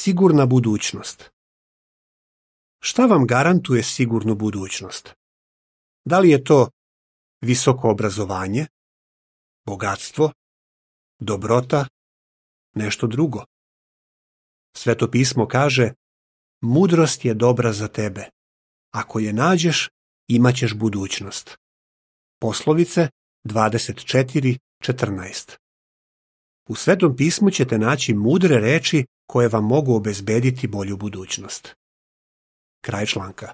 Sigurna budućnost. Šta vam garantuje sigurnu budućnost? Da li je to visoko obrazovanje, bogatstvo, dobrota, nešto drugo? Sveto pismo kaže: mudrost je dobra za tebe. Ako je nađeš, imaćeš budućnost. Poslovice 24:14. U Svetom pismu ćete naći mudre reči koje vam mogu obezbediti bolju budućnost. Kraj članka.